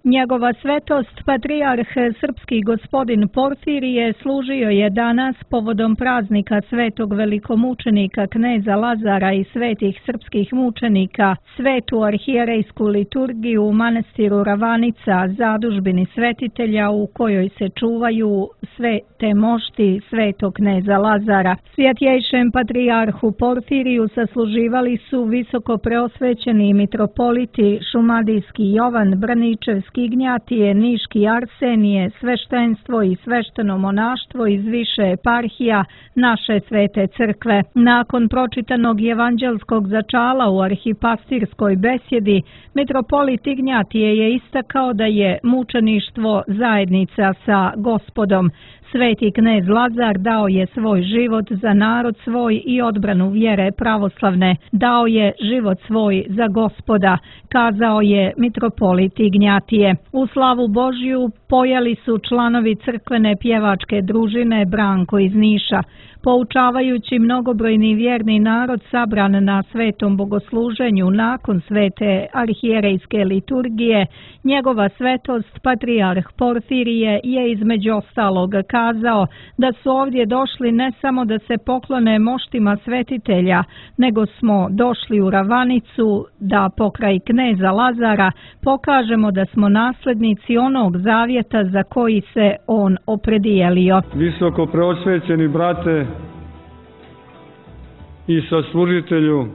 Njegova svetost, patrijarh srpski gospodin Porfirije, služio je danas povodom praznika svetog velikomučenika kneza Lazara i svetih srpskih mučenika svetu arhijerejsku liturgiju u manastiru Ravanica, zadužbini svetitelja u kojoj se čuvaju sve te mošti svetog kneza Lazara. Svjetjejšem patrijarhu Porfiriju sasluživali su visoko preosvećeni mitropoliti Šumadijski Jovan, Braničevski Ignjatije, Niški Arsenije, sveštenstvo i svešteno monaštvo iz više eparhija naše svete crkve. Nakon pročitanog evanđelskog začala u arhipastirskoj besjedi, mitropolit Ignjatije je istakao da je mučeništvo zajednica sa Gospodom. Sveti knez Lazar dao je svoj život za narod svoj i odbranu vjere pravoslavne. Dao je život svoj za Gospoda, kazao je mitropolit Ignjatije. U slavu Božju pojeli su članovi crkvene pjevačke družine Branko iz Niša. Poučavajući mnogobrojni vjerni narod sabran na svetom bogosluženju nakon svete arhijerejske liturgije, njegova svetost patrijarh Porfirije je između ostalog kazao da su ovdje došli ne samo da se poklone moštima svetitelja, nego smo došli u Ravanicu da pokraj kneza Lazara pokažemo da smo naslednici onog zavjeta za koji se on opredijelio. Visoko preosvećeni brate i saslužitelju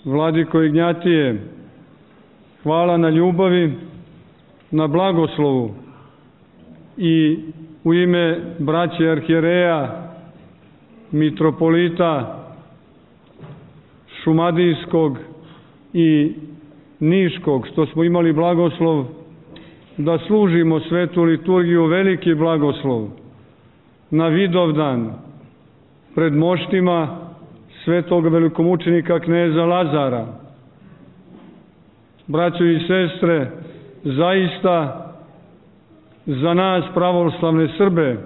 vladiko Ignjatije, hvala na ljubavi, na blagoslovu i u ime braće arhijereja, mitropolita Šumadijskog i Niškog, što smo imali blagoslov da služimo svetu liturgiju, veliki blagoslov na Vidovdan pred moštima svetog velikomučenika kneza Lazara. Braćo i sestre, zaista za nas pravoslavne Srbe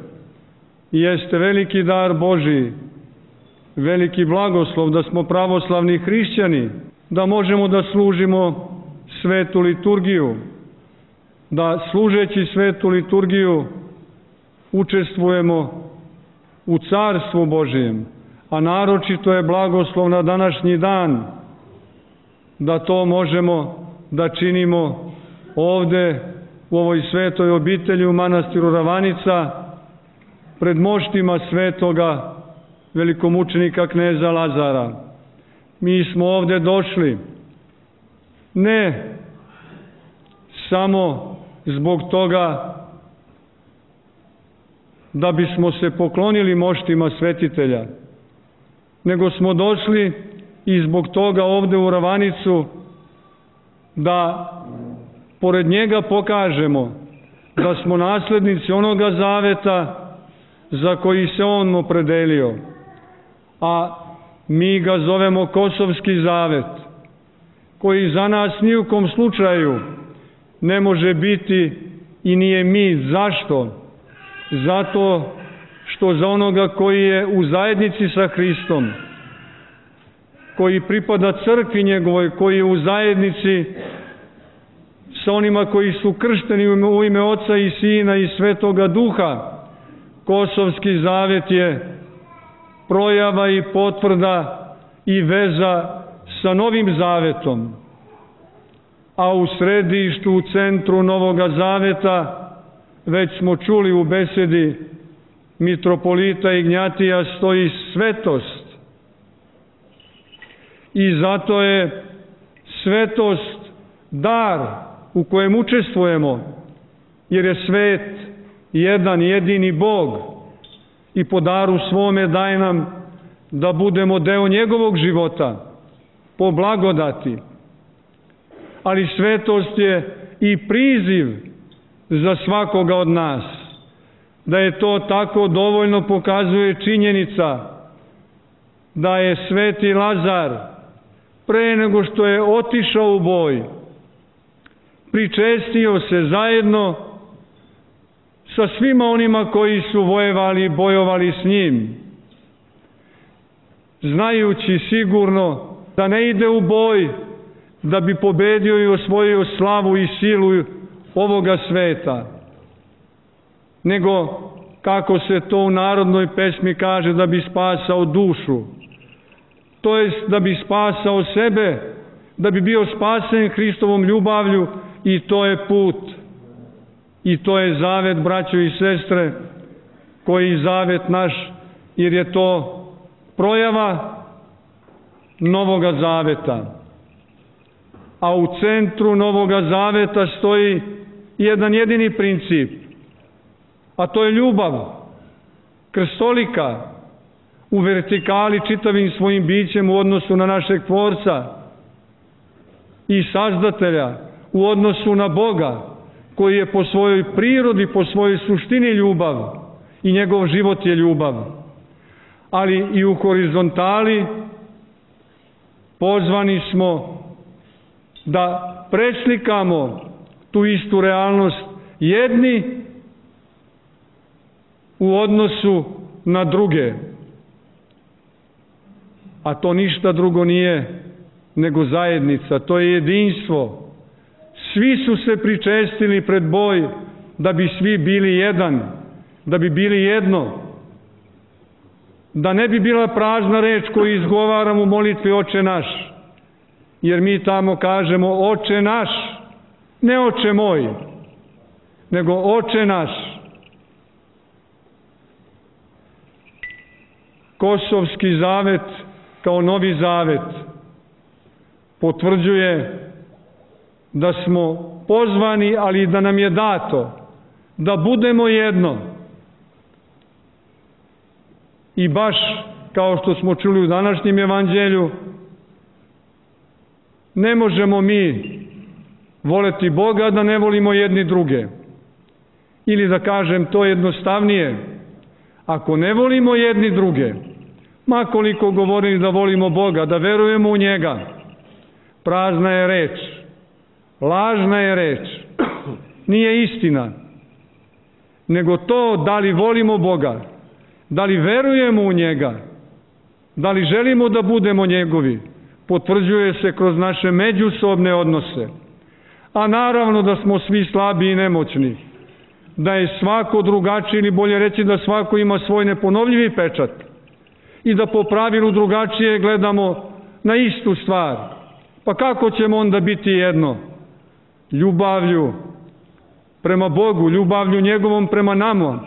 jeste veliki dar Božji, veliki blagoslov da smo pravoslavni hrišćani, da možemo da služimo svetu liturgiju, da služeći svetu liturgiju učestvujemo u carstvu Božijem, a naročito je blagoslov na današnji dan da to možemo da činimo ovde u ovoj svetoj obitelji u manastiru Ravanica pred moštima svetoga velikomučenika kneza Lazara. Mi smo ovde došli ne samo zbog toga da bismo se poklonili moštima svetitelja, nego smo došli i zbog toga ovde u Ravanicu da pored njega pokažemo da smo naslednici onoga zaveta za koji se on opredelio, a mi ga zovemo Kosovski zavet, koji za nas ni u kom slučaju ne može biti i nije mit. Zašto? Zato što za onoga koji je u zajednici sa Hristom, koji pripada crkvi njegovoj, koji je u zajednici sa onima koji su kršteni u ime Oca i Sina i Svetoga Duha, Kosovski zavet je projava i potvrda i veza sa Novim zavetom, a u središtu, u centru Novoga zaveta, već smo čuli u besedi mitropolita Ignjatija, stoji svetost. I zato je svetost dar u kojem učestvujemo, jer je svet jedan jedini Bog i po daru svome daje nam da budemo deo njegovog života, po blagodati. Ali svetost je i priziv za svakoga od nas. Da je to tako dovoljno pokazuje činjenica da je sveti Lazar pre nego što je otišao u boj pričestio se zajedno sa svima onima koji su vojevali i bojovali s njim, znajući sigurno da ne ide u boj da bi pobedio i osvojio slavu i silu ovoga sveta, nego, kako se to u narodnoj pesmi kaže, da bi spasao dušu, to jest da bi spasao sebe, da bi bio spasen Hristovom ljubavlju, i to je put. I to je zavet, braćo i sestre, koji zavet naš, jer je to projava Novoga zaveta. A u centru Novoga zaveta stoji jedan jedini princip, a to je ljubav, krstolika, u vertikali čitavim svojim bićem u odnosu na našeg Tvorca i Sazdatelja, u odnosu na Boga, koji je po svojoj prirodi, po svojoj suštini ljubav, i njegov život je ljubav. Ali i u horizontali pozvani smo da preslikamo tu istu realnost jedni u odnosu na druge. A to ništa drugo nije nego zajednica, to je jedinstvo. Svi su se pričestili pred boj da bi svi bili jedan, da bi bili jedno, da ne bi bila prazna reč koju izgovaramo u molitvi Oče naš, jer mi tamo kažemo Oče naš, ne Oče moj, nego Oče naš. Kosovski zavet kao Novi zavet potvrđuje da smo pozvani, ali da nam je dato da budemo jedno. I baš kao što smo čuli u današnjem evanđelju, ne možemo mi voleti Boga da ne volimo jedni druge. Ili da kažem to jednostavnije, ako ne volimo jedni druge, ma koliko govorili da volimo Boga, da verujemo u njega, prazna je reč, lažna je reč, nije istina, nego to da li volimo Boga, da li verujemo u njega, da li želimo da budemo njegovi, potvrđuje se kroz naše međusobne odnose. A naravno da smo svi slabi i nemoćni, da je svako drugačiji, ili bolje reći da svako ima svoj neponovljivi pečat i da po pravilu drugačije gledamo na istu stvar. Pa kako ćemo onda biti jedno? Ljubavlju prema Bogu, ljubavlju njegovom prema nama,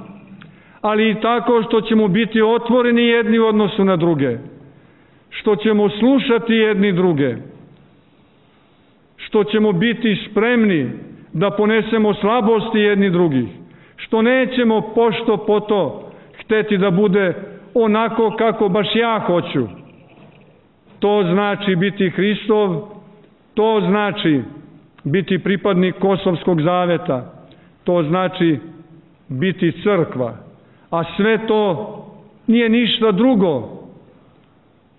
ali i tako što ćemo biti otvoreni jedni u odnosu na druge, što ćemo slušati jedni druge, što ćemo biti spremni da ponesemo slabosti jedni drugih, što nećemo pošto po to hteti da bude onako kako baš ja hoću. To znači biti Hristov, to znači biti pripadnik Kosovskog zaveta, to znači biti crkva, a sve to nije ništa drugo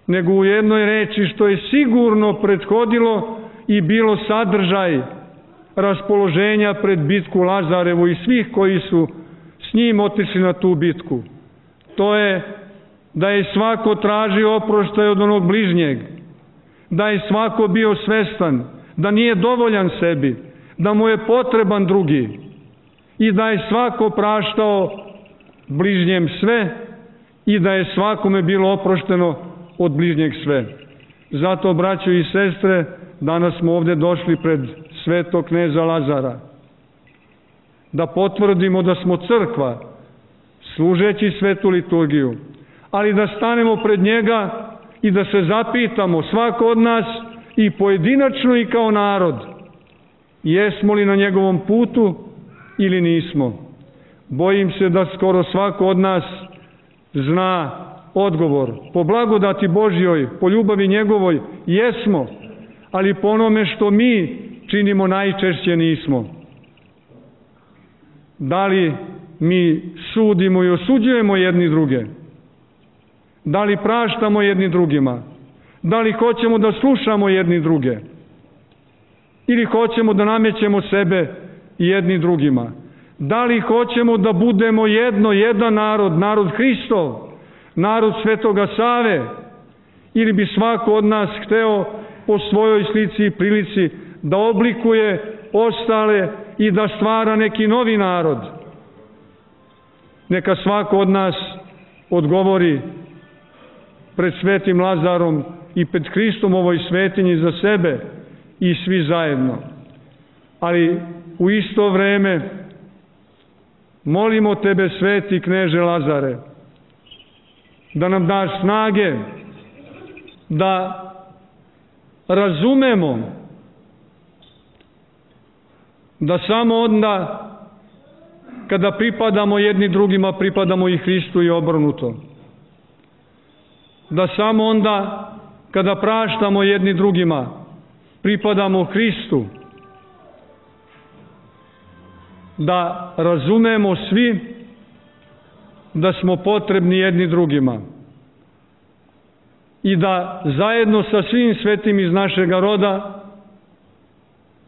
nego u jednoj reči što je sigurno prethodilo i bilo sadržaj raspoloženja pred bitku Lazarevu i svih koji su s njim otišli na tu bitku. To je da je svako tražio oproštaj od onog bližnjeg, da je svako bio svestan da nije dovoljan sebi, da mu je potreban drugi i da je svako praštao bližnjem sve i da je svakome bilo oprošteno od bližnjeg sve. Zato, braćo i sestre, danas smo ovdje došli pred svetog kneza Lazara da potvrdimo da smo crkva, služeći svetu liturgiju, ali da stanemo pred njega i da se zapitamo, svako od nas i pojedinačno i kao narod, jesmo li na njegovom putu ili nismo. Bojim se da skoro svako od nas zna odgovor. Po blagodati Božjoj, po ljubavi njegovoj, jesmo, ali po onome što mi činimo najčešće nismo. Da li mi sudimo i osuđujemo jedni druge? Da li praštamo jedni drugima? Da li hoćemo da slušamo jedni druge? Ili hoćemo da namećemo sebe jedni drugima? Da li hoćemo da budemo jedno, jedan narod, narod Hristov, narod Svetoga Save? Ili bi svako od nas hteo po svojoj slici i prilici, da oblikuje ostale i da stvara neki novi narod. Neka svako od nas odgovori pred svetim Lazarom i pred Hristom u ovoj svetinji za sebe i svi zajedno. Ali u isto vreme molimo tebe, sveti kneže Lazare, da nam daš snage da razumemo da samo onda kada pripadamo jedni drugima, pripadamo i Hristu i obrnuto. Da samo onda kada praštamo jedni drugima, pripadamo Hristu. Da razumemo svi da smo potrebni jedni drugima i da zajedno sa svim svetim iz našega roda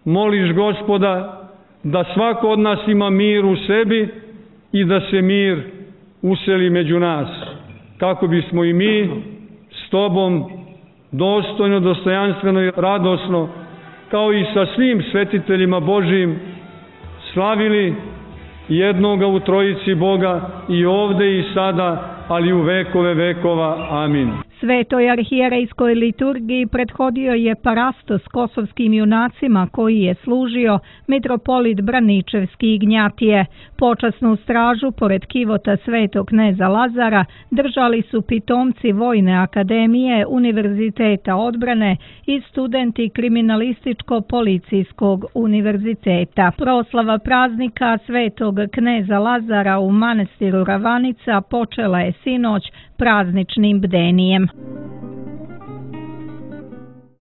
moliš Gospoda da svako od nas ima mir u sebi i da se mir useli među nas, kako bismo i mi s tobom dostojno, dostojanstveno i radosno, kao i sa svim svetiteljima Božijim, slavili jednoga u trojici Boga i ovde i sada, ali u vekove vekova. Amin. Svetoj arhijerejskoj liturgiji prethodio je parastos kosovskim junacima koji je služio mitropolit Braničevski Ignjatije. Počasnu stražu pored kivota svetog kneza Lazara držali su pitomci Vojne akademije Univerziteta odbrane i studenti Kriminalističko-policijskog univerziteta. Proslava praznika svetog kneza Lazara u manastiru Ravanica počela je sinoć prazničnim bdenijem.